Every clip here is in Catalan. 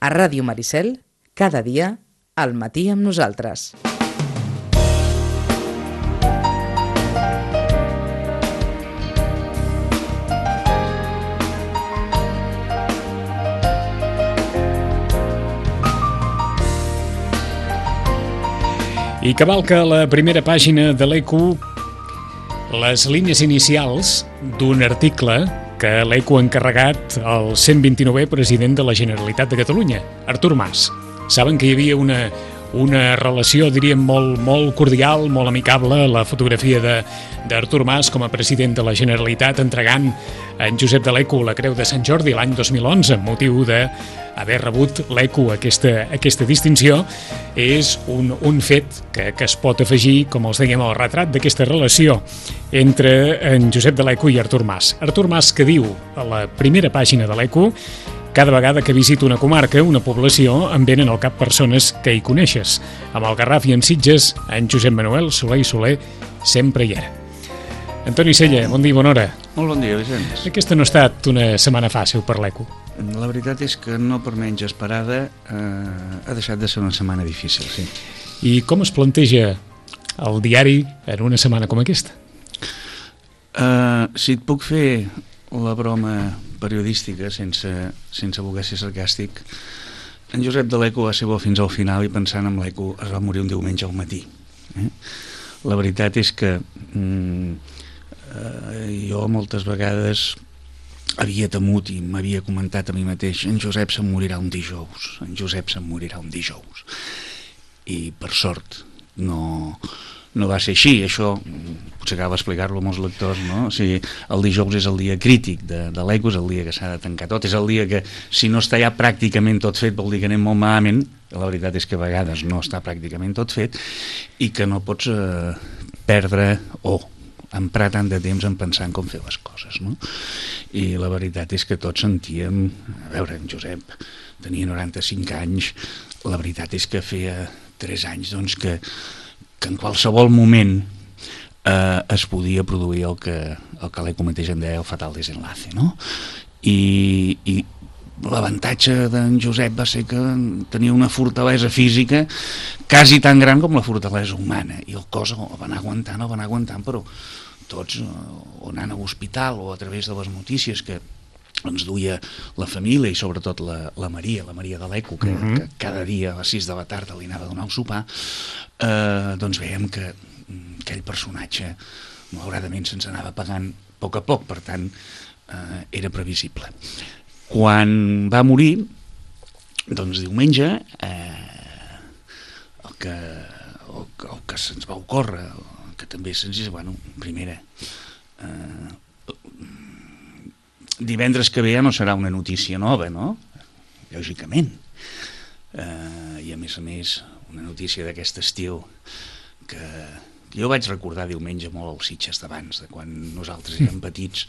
A Ràdio Maricel, cada dia, al matí amb nosaltres. I cavalca la primera pàgina de l'ECO les línies inicials d'un article que l'ECO ha encarregat al 129è president de la Generalitat de Catalunya, Artur Mas. Saben que hi havia una relació, diríem, molt cordial, molt amicable, la fotografia d'Artur Mas com a president de la Generalitat entregant a en Josep de l'ECO la Creu de Sant Jordi l'any 2011, amb motiu d'haver rebut l'ECO aquesta distinció. És un fet que es pot afegir, com els dèiem, al retrat d'aquesta relació entre en Josep de l'ECO i Artur Mas. Artur Mas, que diu a la primera pàgina de l'ECO: cada vegada que visito una comarca, una població, em venen al cap persones que hi coneixes. Amb el Garraf i amb Sitges, en Josep Manuel Soler i Soler sempre hi era. Antoni Sella, bon dia i bona hora. Molt bon dia, Vicenç. Aquesta no ha estat una setmana fàcil per l'ECO. La veritat és que no per menys esperada, ha deixat de ser una setmana difícil, sí. I com es planteja el diari en una setmana com aquesta? Si et puc fer la broma periodística sense voler ser sarcàstic, en Josep de l'ECO va ser bo fins al final i pensant en l'ECO es va morir un diumenge al matí. La veritat és que jo moltes vegades havia temut i m'havia comentat a mi mateix: en Josep se'n morirà un dijous, en Josep se'n morirà un dijous. I per sort no va ser així. Això potser cal explicar-lo a molts lectors, no? O sigui, el dijous és el dia crític de l'ECO, és el dia que s'ha de tancar tot, és el dia que, si no està ja pràcticament tot fet, vol dir que anem molt malament. La veritat és que a vegades no està pràcticament tot fet i que no pots perdre o emprar tant de temps en pensar en com fer les coses, no? I la veritat és que tots sentíem, a veure, en Josep tenia 95 anys, la veritat és que feia 3 anys doncs, que en qualsevol moment es podia produir el que l'ECO mateix en deia el fatal desenlace, no? I l'avantatge d'en Josep va ser que tenia una fortalesa física quasi tan gran com la fortalesa humana, i el cos el van aguantant, però tots, o anant a l'hospital o a través de les notícies que ens duia la família i sobretot la Maria de l'ECO, que cada dia a les 6 de la tarda li anava a donar un sopar, doncs veiem que aquell personatge malauradament se'ns anava apagant a poc, per tant era previsible. Quan va morir, doncs diumenge, el que se'ns va ocórrer, que també se'ns diu, bueno, primera, divendres que ve ja no serà una notícia nova, no? Lògicament. I a més, una notícia d'aquest estil que jo vaig recordar diumenge molt als Sitges d'abans, de quan nosaltres érem petits,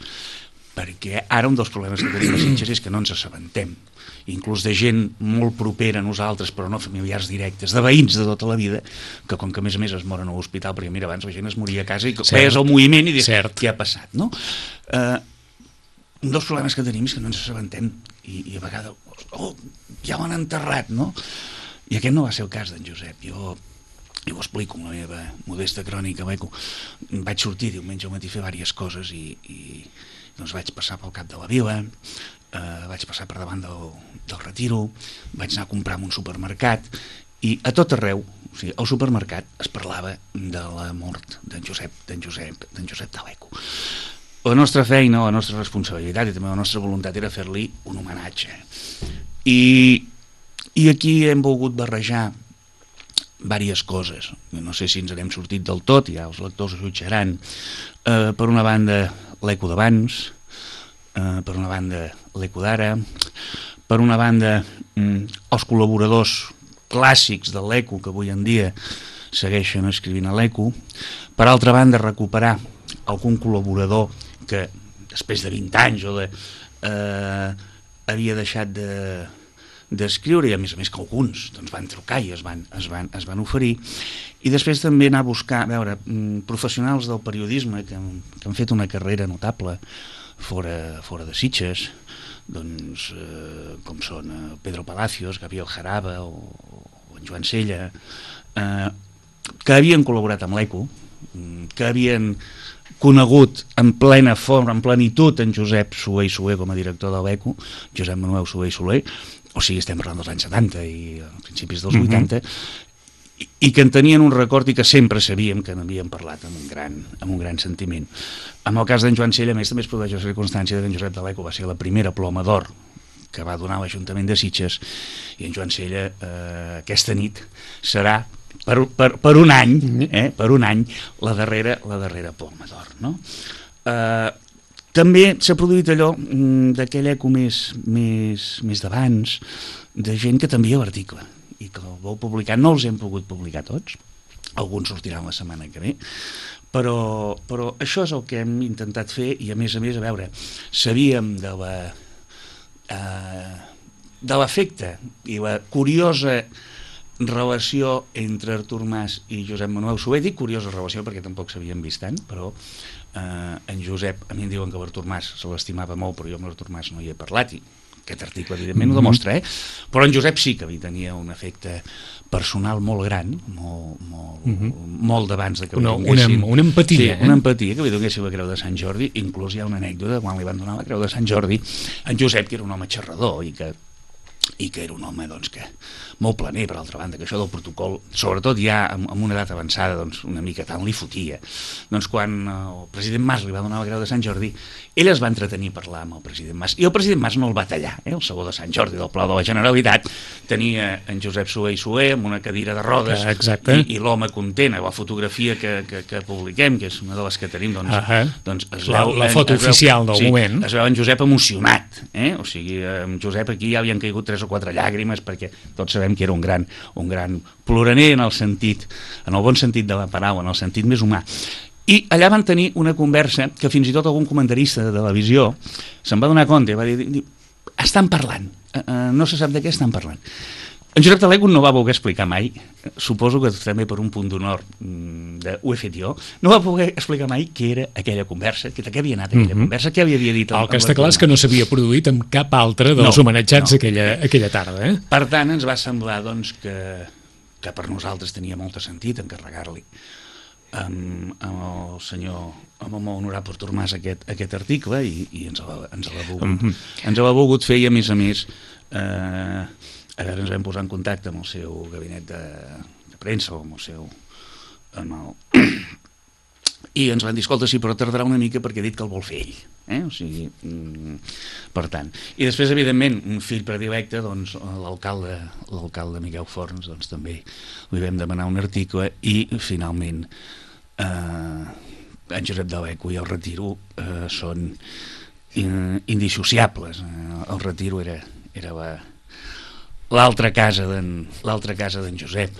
perquè ara un dels problemes que tenim a Sitges és que no ens assabentem, inclús de gent molt propera a nosaltres, però no familiars directes, de veïns de tota la vida, que com que a més es moren a l'hospital, perquè mira, abans la gent es moria a casa i veies el moviment i dius, què ha passat, no? Un dels problemes que tenim és que no ens assabentem i a vegades, ja l'han enterrat, no? I aquest no va ser el cas d'en Josep. Jo ho explico amb la meva modesta crònica a l'ECO. Vaig sortir diumenge al matí a fer diverses coses i doncs vaig passar pel cap de la vila, vaig passar per davant del Retiro, vaig anar a comprar en un supermercat i a tot arreu, o sigui, al supermercat es parlava de la mort d'en Josep de l'ECO. La nostra feina, la nostra responsabilitat i també la nostra voluntat era fer-li un homenatge. I aquí hem volgut barrejar diverses coses. No sé si ens n'hem sortit del tot, ja els lectors ho jutjaran. Per una banda, l'ECO d'abans, per una banda, l'ECO d'ara, per una banda, els col·laboradors clàssics de l'ECO que avui en dia segueixen escrivint a l'ECO, per altra banda, recuperar algun col·laborador que després de 20 anys havia deixat d'escriure, i a més que alguns doncs, van trucar i es van oferir, i després també anar a buscar, a veure, professionals del periodisme que han fet una carrera notable fora de Sitges, doncs, com són Pedro Palacios, Gabriel Jaraba o en Joan Sella, que havien col·laborat amb l'ECO, que havien conegut en plena forma, en plenitud, en Josep Soler i Soler com a director de l'ECO, Josep Manuel Soler i Soler, o sigui, estem parlant dels anys 70 i principis dels 80, i que en tenien un record i que sempre sabíem que n'havíem parlat amb un gran sentiment. En el cas d'en Joan Sella, a més, també es produeix la circumstància que en Josep de l'Eco va ser la primera ploma d'or que va donar l'Ajuntament de Sitges, i en Joan Sella aquesta nit serà per un any, per un any la darrera ploma d'or, no? També s'ha produït allò d'aquell eco més d'abans, de gent que t'envia l'article i que el vol publicar. No els hem pogut publicar tots, alguns sortiran la setmana que ve, però això és el que hem intentat fer, i a més, a veure, sabíem de l'efecte i la curiosa relació entre Artur Mas i Josep Manuel Soler. Dic curiosa relació perquè tampoc s'havien vist tant, però en Josep, a mi em diuen que l'Artur Mas se l'estimava molt, però jo amb l'Artur Mas no hi he parlat, i aquest article evidentment ho demostra, però en Josep sí que li tenia un efecte personal molt gran, molt d'abans de que li donguessin una empatia, una empatia, que li donguessin la Creu de Sant Jordi. Inclús hi ha una anècdota quan li van donar la Creu de Sant Jordi, en Josep, que era un home xerrador i que era un home doncs, que molt planer, per altra banda, que això del protocol, sobretot ja amb una edat avançada, doncs, una mica tant li fotia. Doncs quan el president Mas li va donar la Creu de Sant Jordi, ell es va entretenir a parlar amb el president Mas, i el president Mas no el va tallar. El sabó de Sant Jordi del Palau de la Generalitat tenia en Josep Soler i Soler amb una cadira de rodes, i l'home content. La fotografia que publiquem, que és una de les que tenim, doncs es veu, la foto oficial del moment, es veu en Josep emocionat, o sigui, en Josep aquí ja havien caigut 3 o 4 llàgrimes, perquè tots sabem que era un gran ploraner en el bon sentit de la paraula, en el sentit més humà. I allà van tenir una conversa que fins i tot algun comentarista de televisió se'n va donar compte, va dir, estan parlant, no se sap de què estan parlant. En Josep de l'Eco no va voler explicar mai, suposo que també per un punt d'honor ho he fet jo, no va voler explicar mai què era aquella conversa, de què havia anat aquella conversa, què havia dit. El que està clar és que no s'havia produït amb cap altre dels homenatjats aquella tarda. Per tant, ens va semblar doncs, que per nosaltres tenia molt sentit encarregar-li amb el molt honorable Artur Mas aquest article, i ens l'ha volgut fer, i a més a veure, ens vam posar en contacte amb el seu gabinet de premsa o amb el seu i ens van dir, escolta, sí, però tardarà una mica perquè ha dit que el vol fer ell, o sigui, per tant. I després, evidentment, un fill predilecte, doncs, l'alcalde Miquel Forns, doncs també li vam demanar un article, i finalment en Josep de l'Eco i el Retiro són indissociables. El Retiro era l'altra casa d'en Josep,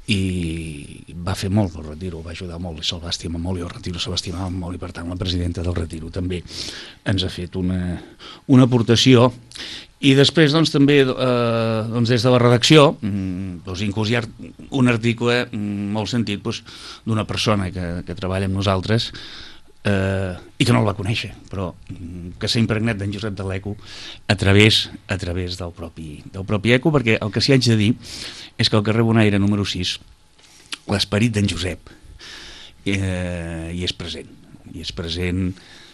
i va fer molt el Retiro, va ajudar molt, i se'l va estimar molt, i el Retiro se l'estimava molt, i per tant la presidenta del Retiro també ens ha fet una aportació. I després doncs, també des de la redacció inclús hi ha un article molt sentit d'una persona que treballa amb nosaltres i que no el va conèixer, però que s'ha impregnat d'en Josep de l'Eco a través del propi Eco, perquè el que s'hi haig de dir és que al carrer Bonaire número 6 l'esperit d'en Josep hi és present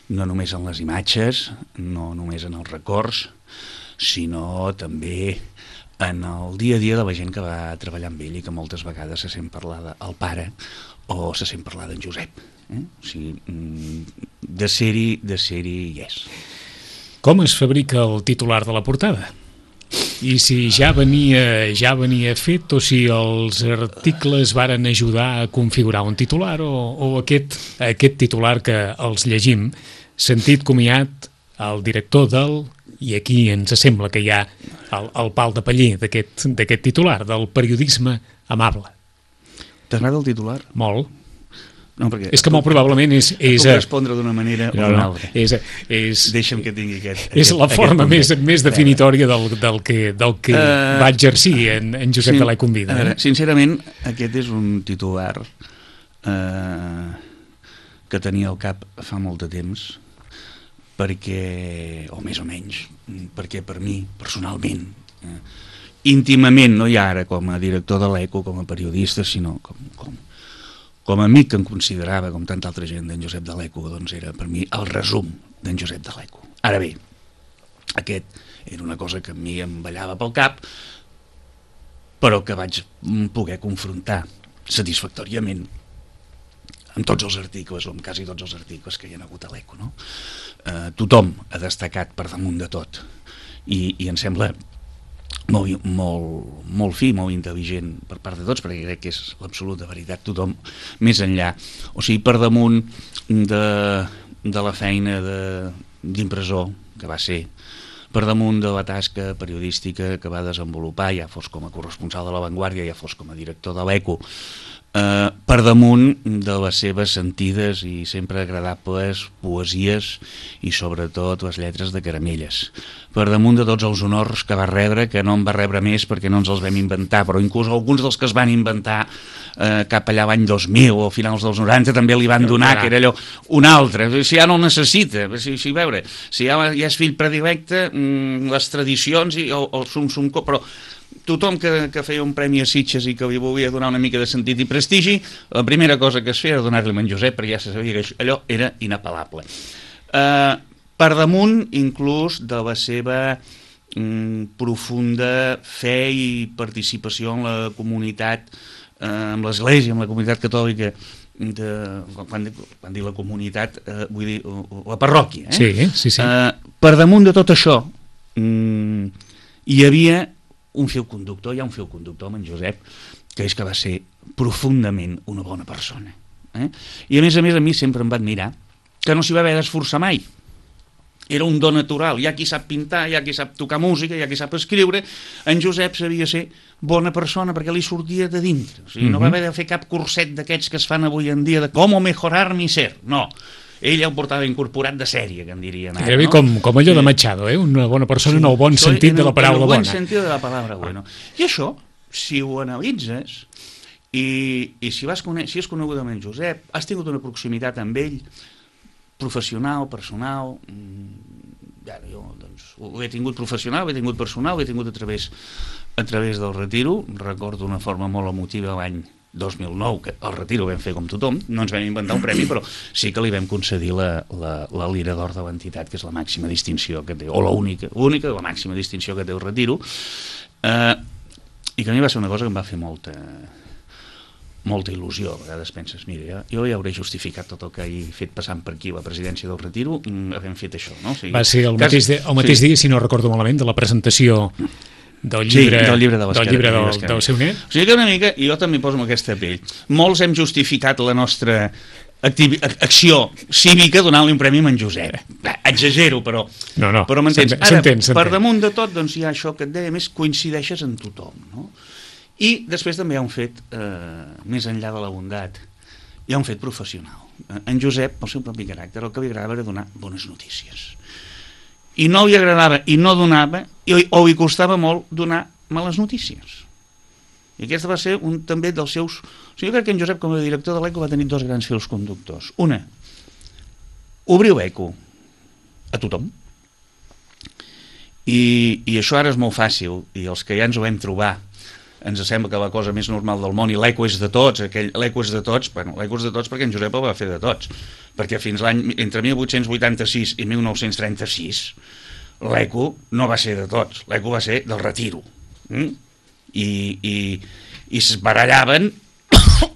no només en les imatges, no només en els records, sinó també en el dia a dia de la gent que va treballar amb ell i que moltes vegades se sent parlar del pare o se sent parlar d'en Josep. O sigui, de ser-hi hi és. Com es fabrica el titular de la portada? I si ja venia fet, o si els articles varen ajudar a configurar un titular, o aquest titular que els llegim, sentit comiat el director i aquí ens sembla que hi ha el pal de paller d'aquest titular, del periodisme amable. T'agrada el titular? Molt. No, perquè és que molt probablement és puc respondre d'una manera o d'una altra. Deixa'm que tingui és la forma més definitòria del que va exercir en Josep de l'Eco en vida. Sincerament, aquest és un titular que tenia al cap fa molt de temps, perquè, o més o menys, perquè per mi, personalment, íntimament, no ja ara com a director de l'ECO, com a periodista, sinó com a amic que em considerava, com tanta altra gent, d'en Josep de l'ECO, doncs era per mi el resum d'en Josep de l'ECO. Ara bé, aquest era una cosa que a mi em ballava pel cap, però que vaig poder confrontar satisfactòriament amb tots els articles, o amb quasi tots els articles que hi ha hagut a l'ECO, no? Tothom ha destacat per damunt de tot, i em sembla molt fi, molt intel·ligent per part de tots, perquè crec que és l'absoluta veritat, tothom més enllà, o sigui, per damunt de la feina d'impressor que va ser, per damunt de la tasca periodística que va desenvolupar, ja fos com a corresponsal de La Vanguardia, ja fos com a director de l'ECO, per damunt de les seves sentides i sempre agradables poesies i sobretot les lletres de caramelles, per damunt de tots els honors que va rebre, que no en va rebre més perquè no ens els vam inventar, però inclús alguns dels que es van inventar cap allà l'any 2000 o finals dels 90 també li van donar, que era allò un altre, si ja no el necessita, si veure, si ja és fill predilecte, les tradicions o el sum, però tothom que feia un premi a Sitges i que li volia donar una mica de sentit i prestigi, la primera cosa que es feia era donar-li a en Josep, perquè ja se sabia que allò era inapel·lable. Per damunt, inclús, de la seva profunda fe i participació en la comunitat, amb l'Església, amb la comunitat catòlica, quan dic la comunitat, vull dir la parròquia. Sí. Per damunt de tot això, hi havia un fil conductor, hi ha un fil conductor amb en Josep, que és que va ser profundament una bona persona. I a més a mi sempre em va admirar que no s'hi va haver d'esforçar mai. Era un do natural, hi ha qui sap pintar, hi ha qui sap tocar música, hi ha qui sap escriure. En Josep sabia ser bona persona perquè li sortia de dintre, o sigui, no va haver de fer cap curset d'aquests que es fan avui en dia de com mejorar mi ser, no. Ell ja ho portava incorporat de sèrie, que en dirien ara. Era com allò de Machado, una bona persona en el bon sentit de la paraula bona. En el bon sentit de la paraula bona. I això, si ho analitzes, i si has conegut amb en Josep, has tingut una proximitat amb ell, professional, personal, jo doncs, ho he tingut professional, ho he tingut personal, ho he tingut a través del retiro. Recordo una forma molt emotiva l'any 2009, que el retiro ho vam fer com tothom, no ens vam inventar un premi, però sí que li vam concedir la Lira d'Or de l'entitat, que és la màxima distinció que té, o l'única, la màxima distinció que té el retiro, i que a mi va ser una cosa que em va fer molta il·lusió. A vegades penses, mira, jo ja hauré justificat tot el que he fet passant per aquí la presidència del retiro, havent fet això, no? O sigui, va ser el mateix dia, si no recordo malament, de la presentació del llibre del seu net. O sigui que una mica, i jo també poso en aquesta pell, molts hem justificat la nostra acció cívica donant-li un premi a en Josep. Exagero, però m'entens. Ara, per damunt de tot, doncs hi ha això que et deia, més coincideixes en tothom, no? I després també hi ha un fet, més enllà de la bondat, hi ha un fet professional. En Josep, pel seu propi caràcter, el que li agradava era donar bones notícies. I no li agradava i no donava, o li costava molt donar males notícies. I aquest va ser un també dels seus... O sigui, jo crec que en Josep, com a director de l'ECO, va tenir dos grans fils conductors. Una, obrir l'ECO a tothom. I això ara és molt fàcil, i els que ja ens ho vam trobar, ens sembla que la cosa més normal del món, i l'ECO és de tots, l'ECO és de tots, bueno, l'ECO és de tots perquè en Josep el va fer de tots, perquè fins entre 1886 i 1936 l'ECO no va ser de tots, l'ECO va ser del retiro, i es barallaven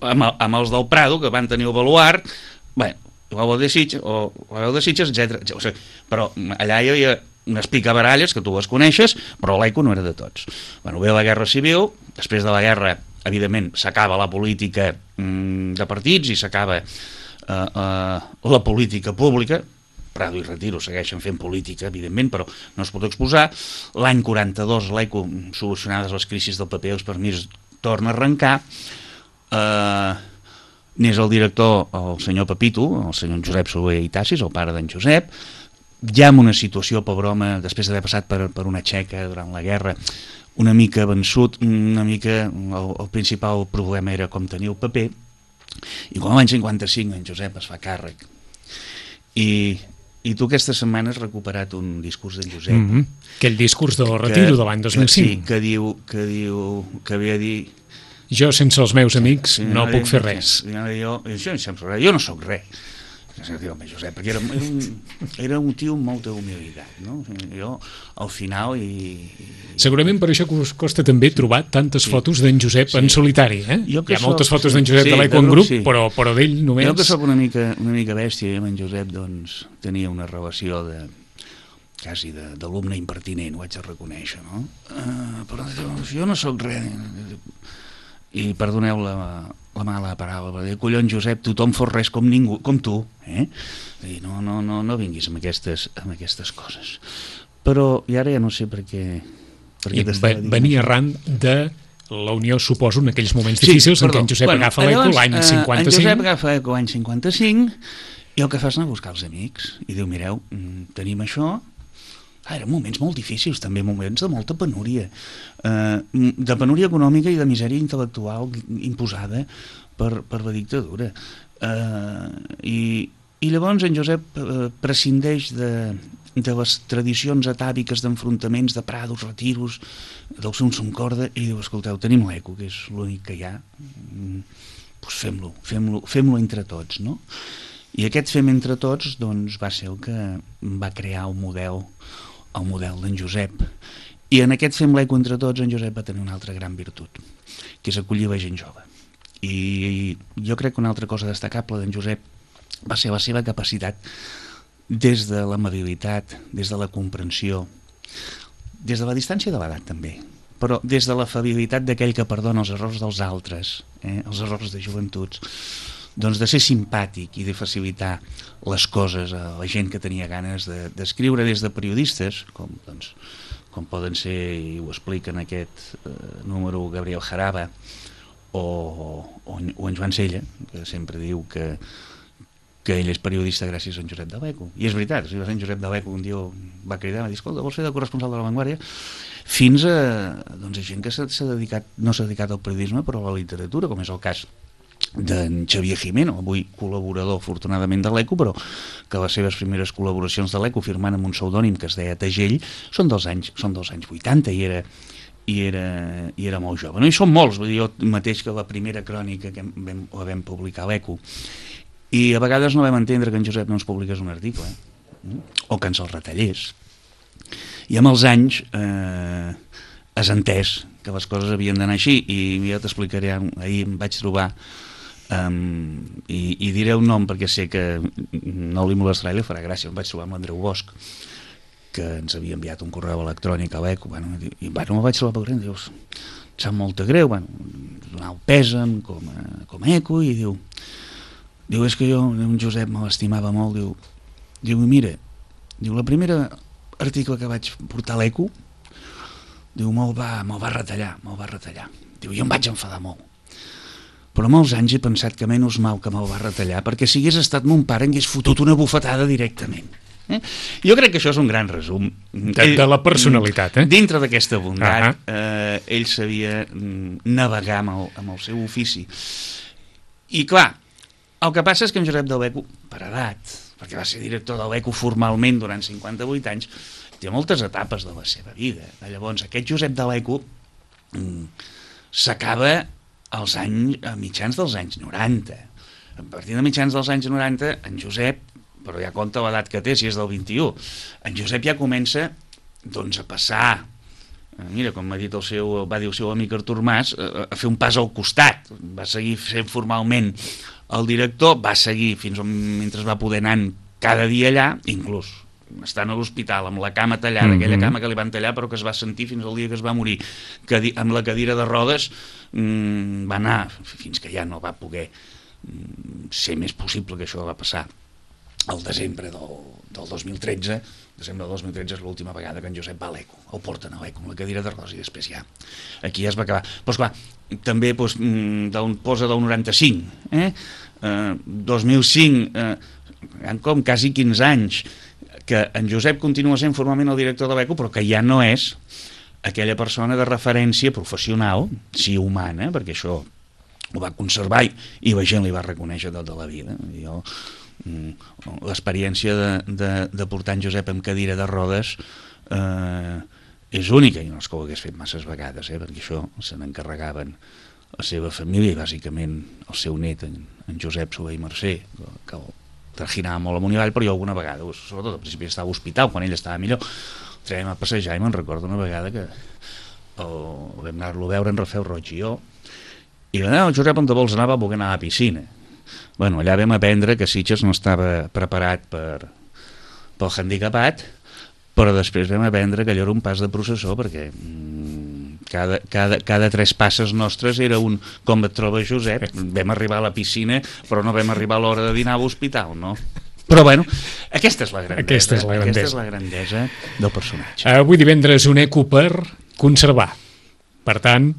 amb els del Prado, que van tenir el baluart, bé, la veu de Sitges, etc. O sigui, però allà hi havia unes picabaralles que tu les coneixes, però l'ECO no era de tots. Bueno, ve la Guerra Civil, després de la guerra, evidentment, s'acaba la política de partits i s'acaba la política pública. Prado i Retiro segueixen fent política, evidentment, però no es pot exposar. L'any 42, l'ECO, solucionades les crisis del PP, els permisos torna a arrencar. N'és el director el senyor Pepito, el senyor Josep Soler i Tassis, el pare d'en Josep, ja en una situació, pobre home, després d'haver passat per una txeca durant la guerra, una mica vençut, una mica el principal problema era com tenir el paper, i quan l'any 55 en Josep es fa càrrec i I tu aquesta setmana has recuperat un discurs d'en Josep. Aquell discurs del retiro de l'any 2005. Sí, que ve a dir... Jo, sense els meus amics, no puc fer res. Jo no sóc res. Home, Josep, perquè era un tio amb molta humilitat, no? Jo, al final... Segurament per això costa també trobar tantes fotos d'en Josep en solitari, eh? Hi ha moltes fotos d'en Josep de l'Eco en grup, però d'ell només... Jo que sóc una mica bèstia, i amb en Josep doncs, tenia una relació quasi d'alumne impertinent, ho haig de reconèixer, no? Però jo no sóc res... I perdoneu la mala paraula, però collons, Josep, tothom fos res com ningú, com tu, eh? I no vinguis amb aquestes coses. Però, i ara ja no sé per què venia arran de la Unió, suposo, en aquells moments difícils en què en Josep agafa l'Eco l'any 55. En Josep agafa l'Eco l'any 55 i el que fa és anar a buscar els amics i diu, mireu, tenim això. Eren moments molt difícils, també moments de molta penúria, de penúria econòmica i de misèria intel·lectual imposada per la dictadura. I llavors en Josep prescindeix de les tradicions atàviques d'enfrontaments, de prados, retiros, del som corda, i diu, escolteu, tenim l'Eco, que és l'únic que hi ha, doncs fem-lo entre tots, no? I aquest fem entre tots doncs, va ser el que va crear el model d'en Josep. I en aquest fem l'Eco entre tots, en Josep va tenir una altra gran virtut, que és acollir la gent jove. I jo crec que una altra cosa destacable d'en Josep va ser la seva capacitat des de l'amabilitat, des de la comprensió, des de la distància de l'edat també, però des de l'afabilitat d'aquell que perdona els errors dels altres, els errors de joventuts, doncs de ser simpàtic i de facilitar les coses a la gent que tenia ganes d'escriure, des de periodistes, com poden ser, i ho explica en aquest número Gabriel Jaraba, o en Joan Sella, que sempre diu que ell és periodista gràcies a en Josep de l'Eco. I és veritat, en Josep de l'Eco un dia va cridar, va dir, escolta, vols ser de corresponsal de La Vanguardia? Fins a gent que no s'ha dedicat al periodisme, però a la literatura, com és el cas d'en Xavier Jimeno, avui col·laborador afortunadament de l'Eco, però que les seves primeres col·laboracions de l'Eco firmant amb un pseudònim que es deia Tegell són dels anys 80 i era molt jove. No hi són molts, vull dir, jo mateix que la primera crònica que la vam publicar a l'Eco, i a vegades no vam entendre que en Josep no ens publiqués un article, o que ens el retallés, i amb els anys has entès que les coses havien d'anar així, i ja t'explicaré, ahir em vaig trobar i diré un nom perquè sé que no li molestarà i li farà gràcia. Em vaig trobar amb l'Andreu Bosch, que ens havia enviat un correu electrònic a l'Eco, i me'l vaig trobar per gran, dius, em sap molt de greu, donar el pèsam com a Eco, i diu, és que jo, un Josep me l'estimava molt, diu, mira, la primera article que vaig portar a l'Eco, diu, me'l va retallar, diu, jo em vaig enfadar molt, però molts anys he pensat que menys mal que me'l va retallar, perquè si hagués estat mon pare hagués fotut una bufetada directament. Jo crec que això és un gran resum de la personalitat, dintre d'aquesta bondat. Ell sabia navegar amb el seu ofici, i clar, el que passa és que en Josep de l'Eco, per edat, perquè va ser director de l'Eco formalment durant 58 anys, té moltes etapes de la seva vida. Llavors, aquest Josep de l'Eco s'acaba a mitjans dels anys 90. A partir de mitjans dels anys 90, en Josep, però ja compta l'edat que té, si és del 21, en Josep ja comença doncs, a passar, mira, com va dir el seu amic Artur Mas, a fer un pas al costat. Va seguir sent formalment el director, va seguir mentre va poder anar cada dia allà, inclús estant a l'hospital amb la cama tallada, aquella cama que li van tallar però que es va sentir fins al dia que es va morir, amb la cadira de rodes, va anar fins que ja no va poder ser més possible, que això va passar al desembre del 2013. Desembre del 2013 és l'última vegada que en Josep va a l'Eco, el porten a l'Eco amb la cadira de rodes, i després ja aquí ja es va acabar. Però esclar, també posa del 95, 2005, han com quasi 15 anys que en Josep continua sent formalment el director de l'Eco, però que ja no és aquella persona de referència professional, sí humana, perquè això ho va conservar i la gent li va reconèixer tota la vida. Jo l'experiència de portar en Josep amb cadira de rodes és única, i no és que ho hagués fet masses vegades, perquè això se n'encarregaven la seva família i bàsicament el seu net, en Josep Soler i Mercè, que el trajinava molt amunt i avall, però jo alguna vegada, sobretot al principi estava a l'hospital, quan ell estava millor, traiem a passejar i me'n recordo una vegada que vam anar-lo a veure en Rafel Roig i jo, i va dir, Josep, on te vols anar? Va voler anar a la piscina. Bueno, allà vam aprendre que Sitges no estava preparat pel handicapat, però després vam aprendre que allò era un pas de processó, perquè cada 3 passes nostres era un com et trobes, Josep? Vam arribar a la piscina, però no vam arribar a l'hora de dinar a l'hospital, no? Però bueno, aquesta és la grandesa del personatge. Avui divendres un eco per conservar. Per tant,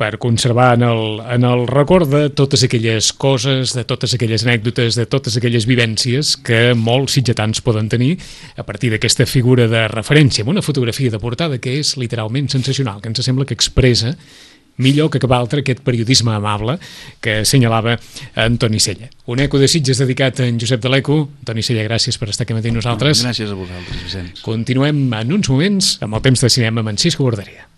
per conservar en el record de totes aquelles coses, de totes aquelles anècdotes, de totes aquelles vivències que molts sitgetans poden tenir a partir d'aquesta figura de referència, amb una fotografia de portada que és literalment sensacional, que ens sembla que expressa millor que cap altre aquest periodisme amable que assenyalava Antoni Sella. Un eco de Sitges dedicat a en Josep de l'Eco. Antoni Sella, gràcies per estar aquí amb nosaltres. Gràcies a vosaltres, Vicenç. Continuem en uns moments amb el temps de cinema amb en Cisco Borderia.